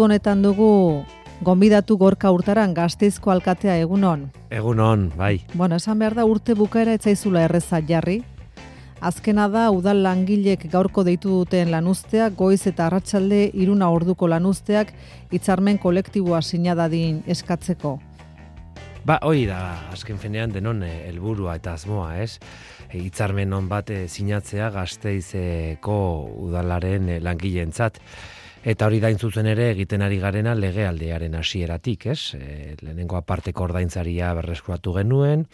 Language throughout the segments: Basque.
Honetan dugu gonbidatu Gorka Urtaran, Gasteizko alkatea, egunon. Egunon, bai. Bueno, esan behar da urte bukaera etzaizula erreza jarri. Azkena da udal langilek gaurko deitu duten lanuzteak, goiz eta arratsalde 3 orduko lanuzteak hitzarmen kolektiboa sinadadin eskatzeko. Ba, hori da, azken fenean denon helburua eta asmoa, ez? Hitzarmen on bat sinatzea Gasteizeko udalaren langileentzat. Eta hori da zuzen ere egiten ari garena legealdiaren hasieratik, ez? Lehenengo aparteko ordaintzaria berreskuratu genuen,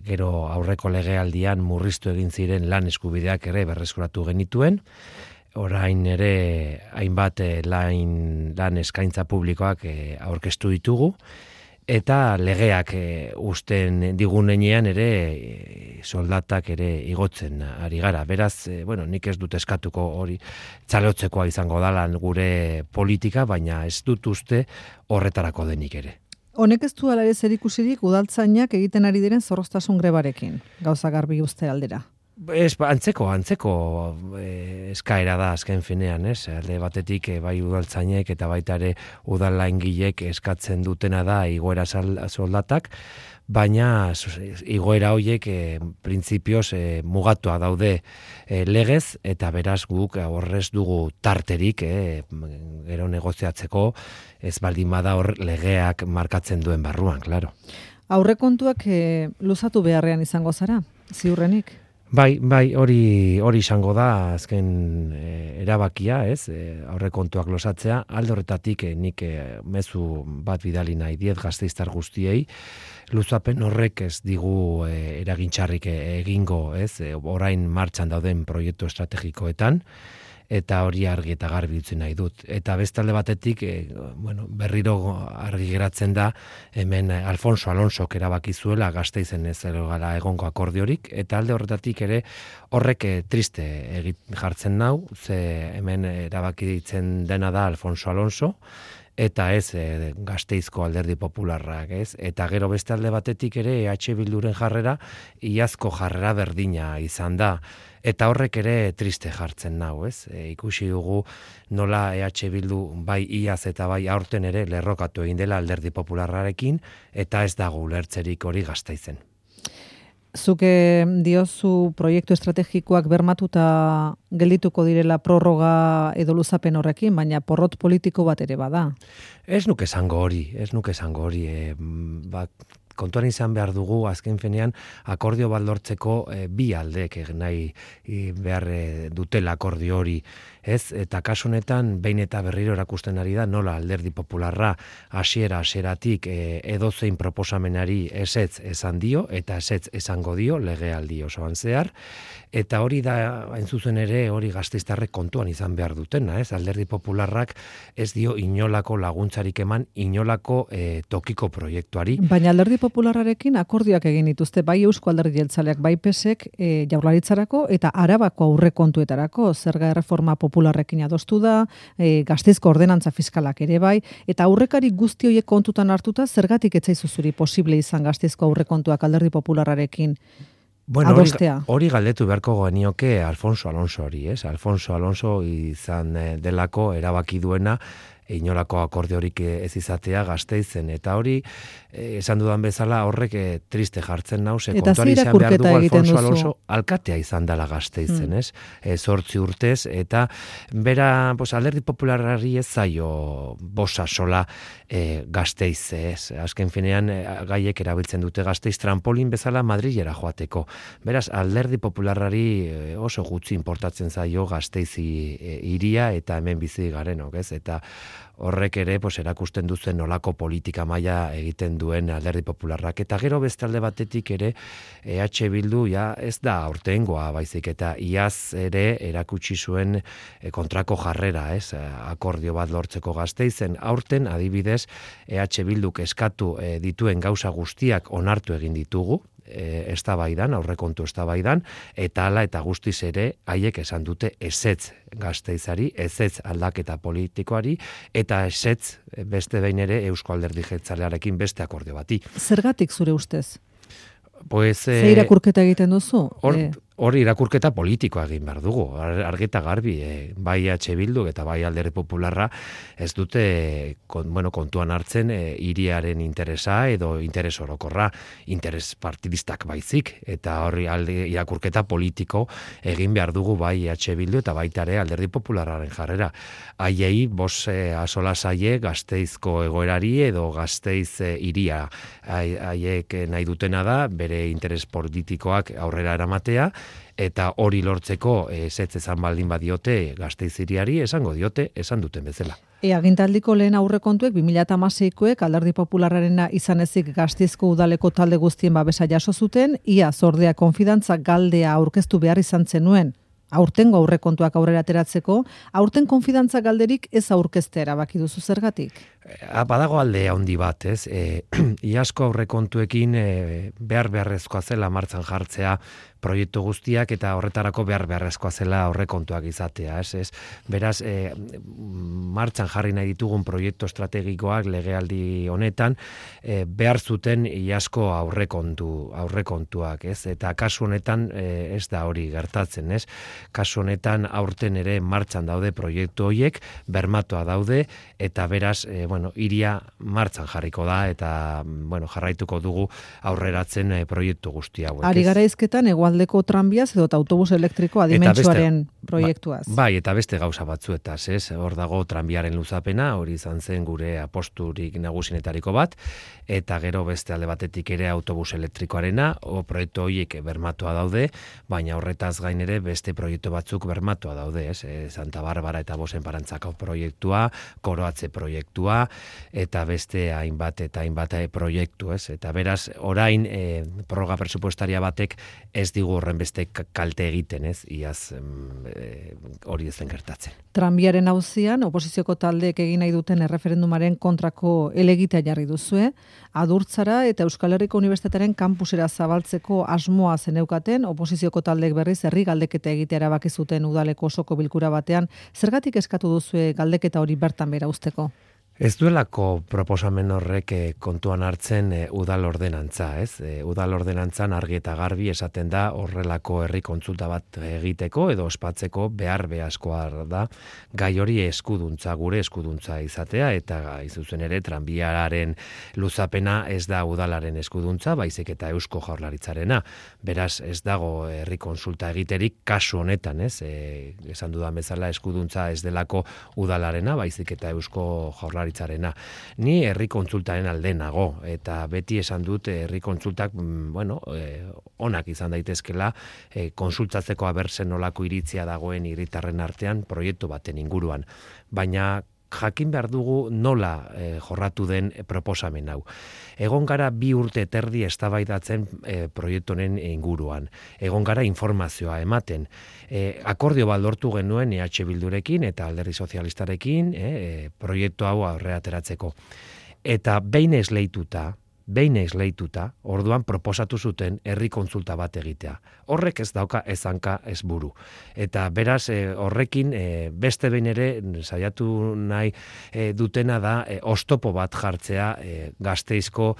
gero aurreko legealdian murriztu egin ziren lan eskubideak ere berreskuratu genituen, orain ere hainbat lan eskaintza publikoak aurkeztu ditugu, eta legeak usten digunenean ere soldatak ere igotzen ari gara. Beraz, nik ez dut eskatuko hori txalotzekoa izango dela gure politika, baina ez dut uste horretarako denik ere. Honek ez du ala ere zerikusirik udaltzainak egiten ari diren zorroztasun grebarekin, gauza garbi uste aldera. Antzeko eskaera da azken finean, ez? Alde batetik bai udaltzainek eta baita ere udal langilek eskatzen dutena da igoera soldatak, baina igoera horiek printzipioz mugatua daude legez, eta beraz guk horrez dugu tarterik gero negoziatzeko, ez baldin bada hor legeak markatzen duen barruan, claro. Aurrekontuak luzatu beharrean izango zara, ziurrenik? Bai, hori izango da azken erabakia, ez? Aurrekontuak losatzea, alde horretatik nik mezu bat bidali nahi diet gasteiztar guztiei, luzapen horrek ez digu eragintxarrik egingo, ez? Orain martxan dauden proiektu estrategikoetan, eta hori argi eta garbi utzi nahi dut. Eta bestalde batetik, berriro argi geratzen da, hemen Alfonso Alonsok erabaki zuela Gasteizen ez gara egongo akordiorik, eta alde horretatik ere horrek triste jartzen nau, ze hemen erabaki ditzen dena da Alfonso Alonso, eta ez Gasteizko Alderdi Popularrak, ez? Eta gero beste alde batetik ere EH Bilduren jarrera, iazko jarrera berdina izan da. Eta horrek ere triste jartzen nau, ez? Ikusi dugu nola EH Bildu bai iaz eta bai aurten ere lerrokatu egin dela Alderdi Popularrarekin, eta ez dago ulertzerik hori Gasteizen. Zuke diozu proiektu estrategikoak bermatuta geldituko direla prorroga edo luzapen horrekin, baina porrot politiko bat ere bada. Ez nuke esango hori. Kontuan izan behar dugu, azken fenean, akordio bat lortzeko bi aldeek nahi behar dutela akordio hori. Ez? Eta kasu honetan, behin eta berriro erakusten ari da, nola Alderdi Popularra hasieratik edozein proposamenari ezetz esan dio, eta ezetz esango dio legealdi osoan zehar, eta hori da, hain zuzen ere, hori gasteiztarrek kontuan izan behar dutena, ez? Alderdi Popularrak ez dio inolako laguntzarik eman, inolako tokiko proiektuari. Baina Alderdi Popularrarekin akordioak egin dituzte, bai Eusko Alderdi Jeltzaleak, bai PSek Jaurlaritzarako eta Arabako aurrekontuetarako zerga erreforma Popularrekin adostu da, Gasteizko ordenantza fiskalak ere bai, eta aurrekari guzti horiek kontutan hartuta, zergatik etzaizu zuri posible izan Gasteizko aurrekontuak Alderdi Popularrarekin adostea? Hori galdetu beharko genioke Alfonso Alonso hori, ez? Alfonso Alonso izan delako erabaki duena, inolako akordiorik ez izatea Gasteizen, eta hori esan dudan bezala horrek triste jartzen nau, ze kontuan izan behar dugu Alfonso Alonso alkatea izan dela Gasteizen, ez? 8 urtez, eta bera Alderdi Popularrari ez zaio bosa sola Gasteiz, ez? Azken finean gaiek erabiltzen dute Gasteiz trampolin bezala Madrilera joateko. Beraz, Alderdi Popularrari oso gutxi importatzen zaio Gasteizi hiria eta hemen bizi garenok, ez? Eta horrek ere erakusten duzen nolako politika maila egiten duen Alderdi Popularrak. Eta gero beste alde batetik ere EH Bildu ez da aurtengoa, baizik eta iaz ere erakutsi zuen kontrako jarrera, ez? Akordio bat lortzeko Gasteizen. Aurten adibidez EH Bilduk eskatu dituen gauza guztiak onartu egin ditugu, eztabaidan, aurrekontu eztabaidan, eta hala eta guztiz ere haiek esan dute ezetz Gasteizari, ezetz aldaketa politikoari, eta ezetz beste behin ere Eusko Alderdi Jeltzalearekin beste akordio bati. Zergatik zure ustez? Pues, Ze irakurketa egiten duzu? hori irakurketa politikoa egin behar dugu, argita garbi, bai H. Bildu eta bai Alderdi Popularra ez dute kontuan hartzen hiriaren interesa edo interes orokorra, interes partidistak baizik, eta hori irakurketa politiko egin behar dugu bai H. Bildu eta baita ere Alderdi Popularraren jarrera. Haiei asola zaie Gasteizko egoerari edo Gasteiz hiria. Haiek nahi dutena da bere interes politikoak aurrera eramatea, eta hori lortzeko ezetz esan baldin badiote Gasteiz hiriari, esango diote, esan duten bezala. Agintaldiko lehen aurrekontuek 2016koek Alderdi Popularrarena izan ezik Gasteizko udaleko talde guztien babesa jaso zuten, ia zordea konfidantza galdea aurkeztu behar izan zenuen. Aurtengo aurrekontuak aurrera ateratzeko, aurten konfidantza galderik ez aurkeztea erabaki duzu zergatik? Badago alde handi bat, ez? Iazko aurrekontuekin beharrezkoa zela martxan jartzea proiektu guztiak eta horretarako beharrezkoa zela aurrekontuak izatea, ez? Beraz, martxan jarri nahi ditugun proiektu estrategikoak legealdi honetan behar zuten iazko aurrekontuak, ez? Eta kasu honetan ez da hori gertatzen, ez? Kasu honetan aurten ere martxan daude proiektu horiek, bermatua daude, eta beraz, iria martxan jarriko da, eta jarraituko dugu aurreratzen proiektu guzti hauek. Ari gara izketan hegoaldeko tranbiaz edo autobus elektriko adimentsuaren proiektuaz. Bai, eta beste gauza batzuetaz, ez? Hor dago tranbiaren luzapena, hori izan zen gure aposturik nagusienetariko bat, eta gero beste alde batetik ere autobus elektrikoarena, proiektu horiek bermatua daude, baina horretaz gain ere beste proiektu batzuk bermatua daude, ez? Santa Barbara eta Bosen Parantzako proiektua, Koroatze proiektua, eta beste hainbat proiektu, ez? Eta beraz, orain prorroga presupuestaria batek ez digu horren beste kalte egiten, ez? Iaz hori ez den gertatzen. Tranbiaren auzian, oposizioko taldeek egin nahi duten erreferendumaren kontrako helegitea jarri duzue, Adurtzara eta Euskal Herriko Unibertsitatearen kampusera zabaltzeko asmoa zeneukaten, oposizioko taldeek berriz herri galdeketa egitea erabaki zuten udaleko osoko bilkura batean. Zergatik eskatu duzue galdeketa hori bertan bera uzteko? Ez duelako proposamen horrek kontuan hartzen udal ordenantza, ez? Udal ordenantzan argi eta garbi esaten da horrelako herri kontsulta bat egiteko edo ospatzeko beharrezkoa da gai hori gure eskuduntza izatea, eta izuzen ere tranbiaren luzapena ez da udalaren eskuduntza, baizik eta Eusko Jaurlaritzarena. Beraz, ez dago herri kontsulta egiterik kasu honetan, ez? Esan dudan bezala eskuduntza ez delako udalarena, baizik eta Eusko Jaurlaritzarena. Ni herri kontsultaren alde nago, eta beti esan dut herri kontsultak onak izan daitezkela kontsultatzeko abertzen nolako iritzia dagoen hiritarren artean proiektu baten inguruan. Baina jakin behar dugu nola jorratu den proposamen hau. Egon gara 2 urte terdi eztabaidatzen proiektu honen inguruan. Egon gara informazioa ematen. Akordio bat lortu genuen EH Bildurekin eta Alderdi Sozialistarekin proiektu hau aurrera ateratzeko. Eta behin esleituta, orduan proposatu zuten herri kontsulta bat egitea. Horrek ez dauka ez hanka ez buru. Eta beraz horrekin beste behin ere saiatu nahi dutena da oztopo bat jartzea Gasteizko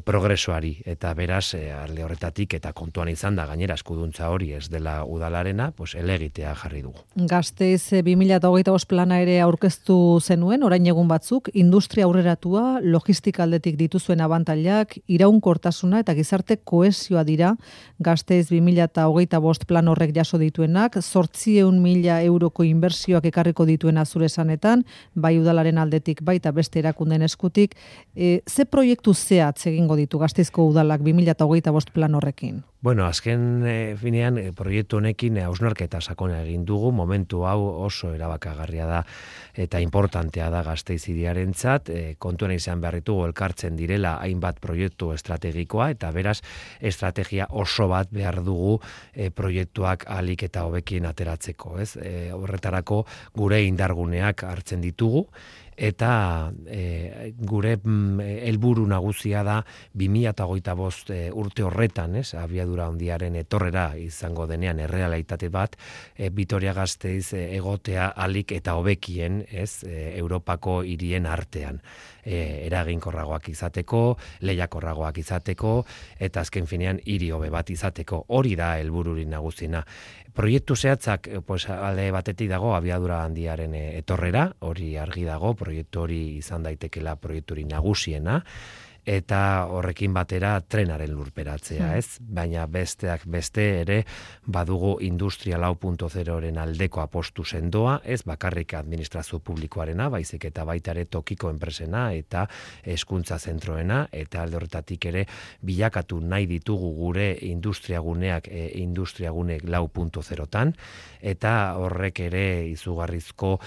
progresoari. Eta beraz alde horretatik eta kontuan izan da gainera eskuduntza hori ez dela udalarena, helegitea jarri dugu. Gasteiz 2025 plana ere aurkeztu zenuen, orain egun batzuk, industria aurreratua, logistika aldetik dituzuen abantailak, iraunkortasuna eta gizarte kohesioa dira Gasteiz 2025 plan horrek jaso dituenak, 800.000 euroko inbertsioak ekarriko dituena zure esanetan, bai udalaren aldetik baita beste erakunden eskutik. Ze proiektu zehatz egingo ditu Gasteizko udalak 2025 plan horrekin? Azken finean proiektu honekin hausnarketa sakona egin dugu, momentu hau oso erabakagarria da eta importantea da Gasteiz hiriarentzat, kontuan izan behar ditugu elkartzen direla hainbat proiektu estrategikoa, eta beraz estrategia oso bat behar dugu proiektuak ahalik eta hobekien ateratzeko, ez? Horretarako gure indarguneak hartzen ditugu, eta gure helburu nagusia da 2025 urte horretan, abiadura handiaren etorrera izango denean errealitate bat, Vitoria-Gasteiz egotea alik eta hobekien, Europako hirien artean. Eraginkorragoak izateko, lehiakorragoak izateko, eta azken finean hiri hobe bat izateko. Hori da helbururik nagusiena. Proiektu zehatzak, alde batetik dago abiadura handiaren etorrera, hori argi dago, proiektu hori izan daitekela proiekturi nagusiena, eta horrekin batera trenaren lurperatzea, Baina besteak beste ere badugu Industria 4.0-ren aldeko apostu sendoa, ez bakarrik administrazio publikoarena, baizik eta baita ere tokiko enpresena eta hezkuntza zentroena, eta alde horretatik ere bilakatu nahi ditugu gure industriaguneak industriagune 4.0-tan, eta horrek ere izugarrizko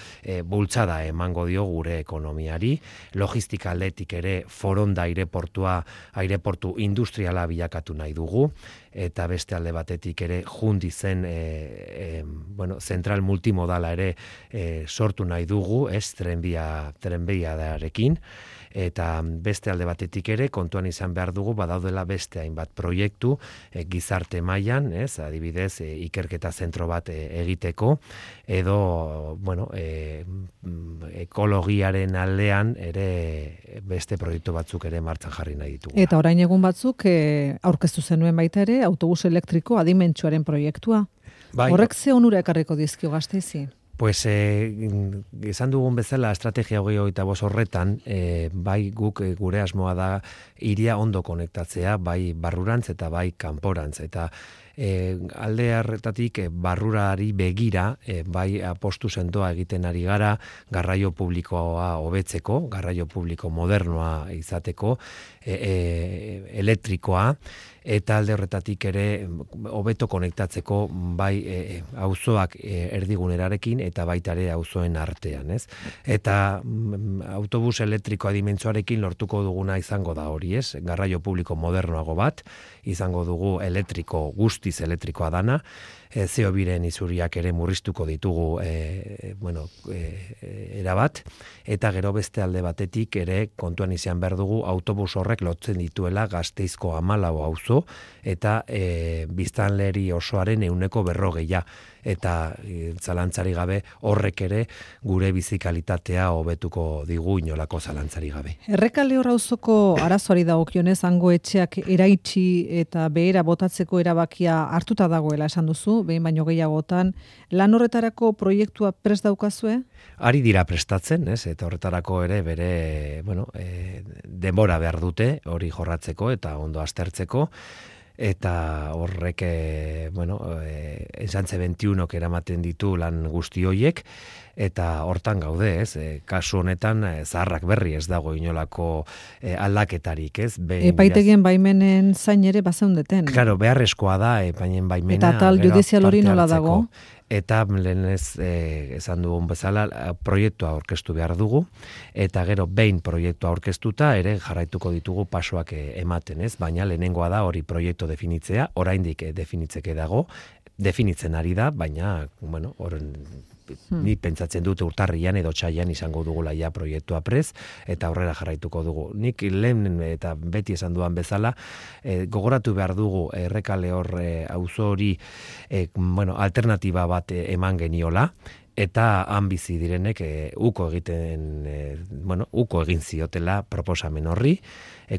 bultzada emango dio gure ekonomiari, logistika aldetik ere Foronda aireportu industriala bilakatu nahi dugu, eta beste alde batetik ere jundi zen zentral multimodala ere sortu nahi dugu, trenbidearekin, eta beste alde batetik ere kontuan izan behar dugu badaudela beste hainbat proiektu gizarte mailan, adibidez ikerketa zentro bat egiteko, edo ekologiaren aldean ere beste proiektu batzuk ere martxan jarri nahi ditugu. Eta orain egun batzuk aurkeztu zenuen baita ere autobus elektriko adimentsuaren proiektua. Horrek ze onura ekarriko dizkio Gasteizi? Pues esan dugun bezala estrategia 2025 horretan, bai guk gure asmoa da hiria ondo konektatzea, bai barrurantz eta bai kanporantz, eta alde harretatik barrurari begira, bai apostu sendoa egiten ari gara, garraio publikoa hobetzeko, garraio publiko modernoa izateko, elektrikoa, eta alde horretatik ere hobeto konektatzeko bai auzoak erdigunerarekin eta baita ere auzoen artean, Eta autobus elektrikoa dimentsuarekin lortuko duguna izango da hori, Garraio publiko modernoago bat, izango dugu guztiz elektrikoa dana, CO2-ren isuriak ere murriztuko ditugu erabat, eta gero beste alde batetik ere kontuan izan behar dugu autobus horrek lotzen dituela Gasteizko 14 auzo eta biztanleri osoaren 40%, eta zalantzari gabe horrek ere gure bizikalitatea hobetuko digu inolako zalantzari gabe. Errekale auzoko arazoari dagokionez hango etxeak eraitsi eta behera botatzeko erabakia hartuta dagoela esan duzu, behin baino gehiagotan, lan horretarako proiektua prest daukazue? Ari dira prestatzen, eta horretarako ere bere, denbora behar dute hori jorratzeko eta ondo aztertzeko, eta horrek, esantze 21 eramaten ditu lan guzti hoiek, eta hortan gaude, kasu honetan zaharrak berri ez dago inolako aldaketarik, Epaitegien baimenen zain ere bazeundeten. Claro, beharrezkoa da epainen baimena. Eta tal judizial hori nola dago? Eta lehenez esan dugun bezala proiektua aurkeztu behar dugu, eta gero behin proiektua aurkeztuta ere jarraituko ditugu pasoak ematen, baina lehenengoa da hori proiektu definitzea, oraindik definitzeke dago, definitzen ari da, baina, ni pentsatzen dute urtarrian edo otsailean izango dugula ja proiektua prez, eta aurrera jarraituko dugu. Nik lehen eta beti esan duan bezala, gogoratu behar dugu Errekale auzo hori alternatiba bat eman geniola, eta han bizi direnek uko egin ziotela proposamen horri,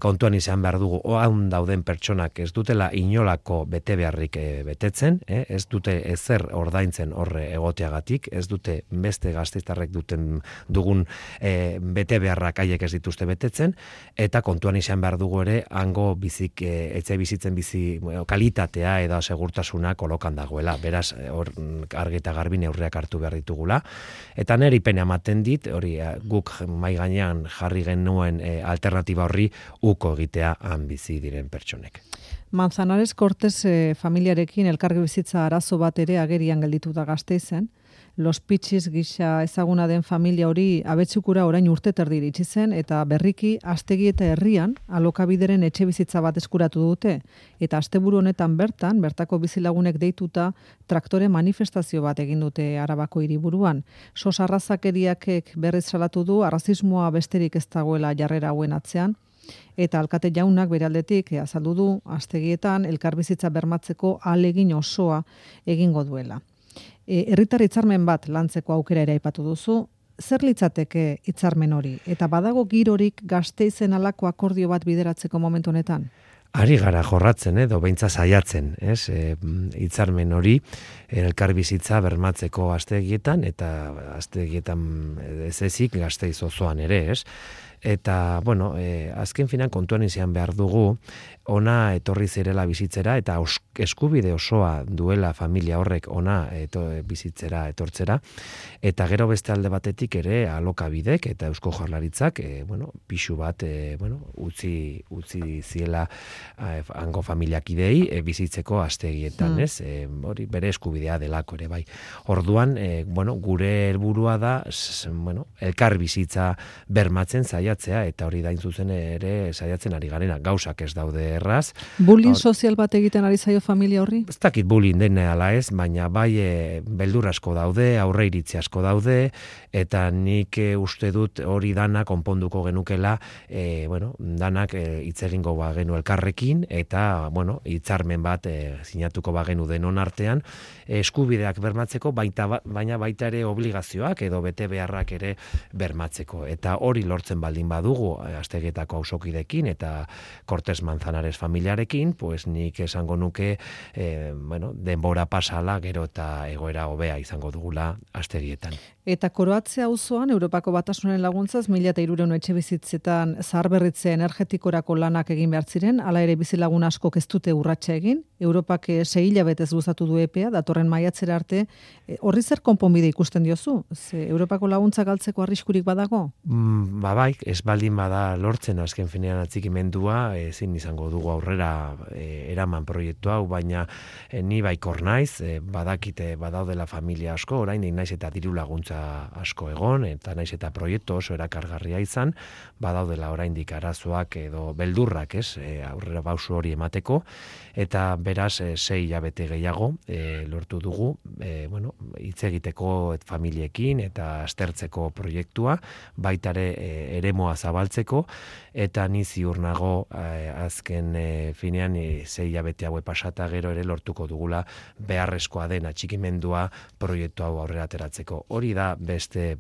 kontuan izan behar dugu han dauden pertsonak ez dutela inolako bete beharrik betetzen, ez dute ezer ordaintzen horre egoteagatik, ez dute beste gasteiztarrek dugun bete beharrak haiek ez dituzte betetzen, eta kontuan izan behar dugu ere hango etxe bizitzen kalitatea edo segurtasuna kolokan dagoela, beraz hor argi eta garbi neurriak hartu behar ditugula, eta neri pena ematen dit, hori guk mai gainean jarri genuen alternatiba horri uko egitea han bizi diren pertsonek. Manzanares Cortes familiarekin elkargi bizitza arazo bat ere agerian gelditu da Gasteizen. Los Pitxis gisa ezaguna den familia hori Abetzukura orain urte terdi iritsi zen, eta berriki Astegi eta Herrian alokabideren etxe bizitza bat eskuratu dute, eta asteburu honetan bertako bizilagunek deituta traktore manifestazio bat egin dute Arabako hiriburuan. Sos arrazakeriakek berriz salatu du arrazismoa besterik ez dagoela jarrera hauen atzean, eta alkate jaunak bere aldetik azaldu du Astegietan elkarbizitza bermatzeko ahalegin osoa egingo duela. Herritar hitzarmen bat lantzeko aukera ere aipatu duzu. Zer litzateke hitzarmen hori? Eta badago girorik Gasteizen halako akordio bat bideratzeko momentu honetan? Ari gara jorratzen, edo beintza saiatzen, ez? Hitzarmen hori elkarbizitza bermatzeko Astegietan, eta Astegietan ez ezik Gasteiz osoan ere, ez? Eta, azken finan kontuan izan behar dugu, ona etorri zirela bizitzera, eta eskubide osoa duela familia horrek ona bizitzera etortzera, eta gero beste alde batetik ere alokabidek eta Eusko Jaurlaritzak, pixu bat, utzi ziela hango familiakidei bizitzeko Astegietan, ez? Hori bere eskubidea delako ere, bai. Orduan, gure helburua da, elkar bizitza bermatzen saiatzea, eta hori dain zuzen ere saiatzen ari garena, gauzak ez daude erraz. Bullying sozial bat egiten ari zaio familia horri? Ez dakit bullying den ala ez, baina bai beldur asko daude, aurre iritzi asko daude, eta nik uste dut hori dana konponduko genukela, danak hitz egingo bagenu elkarrekin, eta, hitzarmen bat sinatuko bagenu denon artean, eskubideak bermatzeko, baina baita ere obligazioak edo bete beharrak ere bermatzeko. Eta hori lortzen baldin badugu Astegietako auzokidekin eta Cortes Manzanares familiarekin, pues nik esango nuke denbora pasala gero eta egoera hobea izango dugula Astegietan. Eta Koroatze auzoan Europako Batasunen laguntzaz 1300 etxebizitzetan zaharberritze energetikorako lanak egin behar ziren, hala ere bizilagun askok ez dute urratsa egin. Europak 6 hilabetez luzatu du epea, datorren maiatzera arte. Horri zer konponbide ikusten diozu? Europako laguntza galtzeko arriskurik badago? Bai, ez baldin bada lortzen azken finean atzikimendua, ezin izango dugu aurrera eraman proiektu hau, baina ni baikor naiz, badakite badaudela familia asko, oraindik naiz eta diru laguntza asko egon, eta naiz eta proiektu oso erakargarria izan, badaudela oraindik arazoak edo beldurrak, aurrera pausu hori emateko, eta beraz 6 hilabete gehiago lortu dugu, hitz egiteko familiekin eta aztertzeko proiektua, baitare eremoa zabaltzeko, eta ni ziur nago azken finean 6 hilabete haue pasata gero ere lortuko dugula beharrezkoa den atxikimendua proiektu hau aurrera ateratzeko. Hori da beste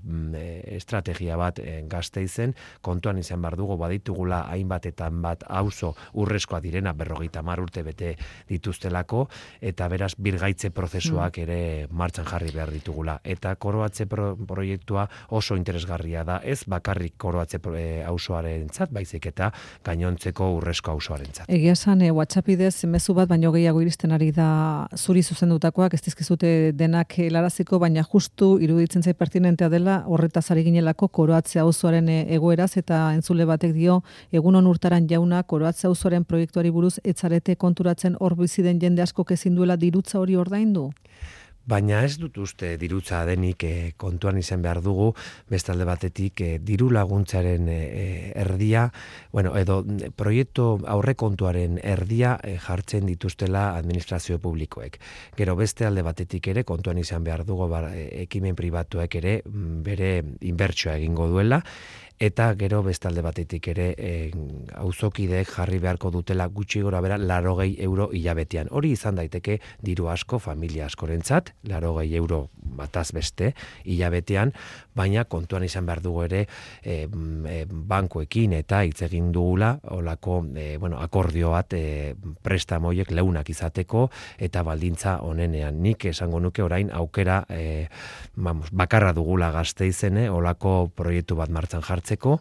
estrategia bat Gasteizen, kontuan izan behar dugu baditugula hainbatetan bat auzo urrezkoa direna 50 urte bete dituztelako, eta beraz birgaitze prozesuak ere martxan jarri behar ditugula. Eta Koroatze proiektua oso interesgarria da, ez bakarrik Koroatze auzoarentzat, baizik eta gainontzeko urrezko auzoarentzat. Egia esan, WhatsApp bidez mezu bat baino gehiago iristen ari da zuri zuzendutakoak, ez dizkizute denak helaraziko, baina justu iruditzen zait pertinentea dela horretaz ari ginelako Koroatze auzoaren egoeraz, eta entzule batek dio, egunon Urtaran jauna, Koroatze auzoaren proiektuari buruz etzarete konturatzen hor bizi den jende asko ezin duela dirutza hori ordaindu? Baina ez dut uste dirutza denik kontuan izan behar dugu, bestalde batetik diru laguntzaren erdia, edo proiektu aurrekontuaren erdia jartzen dituztela administrazio publikoek. Gero beste alde batetik ere kontuan izan behar dugu ekimen pribatuek ere bere inbertsioa egingo duela, eta gero bestalde batetik ere auzokideek jarri beharko dutela gutxi gora bera 80 euro hilabetean. Hori izan daiteke diru asko familia askorentzat, 80 euro bataz beste hilabetean, baina kontuan izan behar dugu ere bankuekin eta hitz egin dugula olako akordio bat prestamoiek leunak izateko eta baldintza onenean. Nik esango nuke orain aukera bakarra dugula Gasteizen olako proiektu bat martxan jartzeko,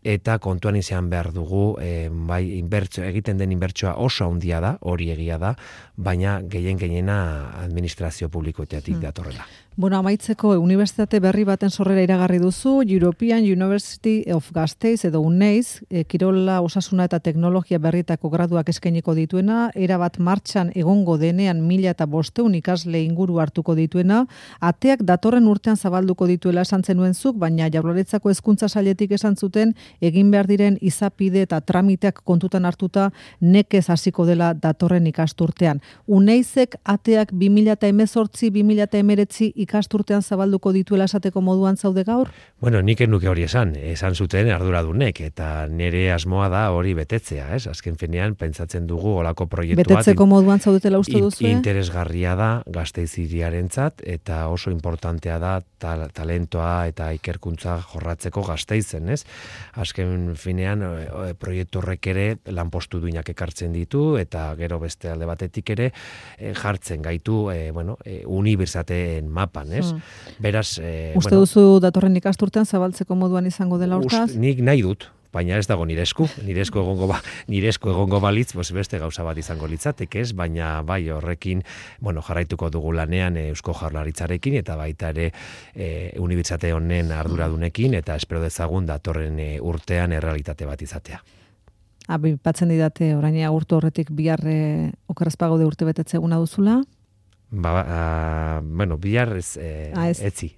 eta kontuan izan behar dugu, egiten den inbertsioa oso handia da, hori egia da, baina gehiena administrazio publikoetatik datorrela. Bueno, amaitzeko unibertsitate berri baten sorrera iragarri duzu, European University of Gasteiz edo UNEIZ, kirola, osasuna eta teknologia berrietako graduak eskainiko dituena, erabat martxan egongo denean 1500 ikasle inguru hartuko dituena, ateak datorren urtean zabalduko dituela esan zenuen zuk, baina Jaurlaritzako hezkuntza sailetik esan zuten egin behar diren izapide eta tramiteak kontutan hartuta nekez hasiko dela datorren ikasturtean. UNEIZek ateak 2018-2019 ikasturtean zabalduko dituela esateko moduan zaude gaur? Bueno, nik nuke hori esan zuten arduradunek, eta nire asmoa da hori betetzea, ez? Azken finean, pentsatzen dugu olako proiektu bat. Betetzeko moduan zaudetela uste duzu? Interesgarria da Gasteiz hiriarentzat, eta oso importantea da talentoa eta ikerkuntza jorratzeko Gasteizen, ez? Azken finean, proiektu horrek ere lanpostu duinak ekartzen ditu, eta gero beste alde batetik ere jartzen gaitu, unibertsitateen mapa. Beraz, uste duzu datorren ikasturtean zabaltzeko moduan izango dela hortaz? Nik nahi dut, baina ez dago nire esku egongo balitz, beste gauza bat izango litzateke, ez, baina bai horrekin, jarraituko dugu lanean Eusko Jaurlaritzarekin eta baita ere unibertsitate honen arduradunekin, eta espero dezagun datorren urtean errealitate bat izatea. Batzen didate orain agurtu horretik bihar okerrezpago de urte betetze eguna duzula? Bihar etzi.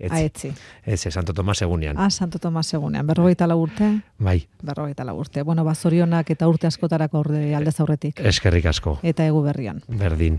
Santo Tomas egunean. Santo Tomas egunean. 44 urte? Bai. 44 urte. Zorionak eta urte askotarako aldez aurretik. Eskerrik asko. Eta egu berrian. Berdin.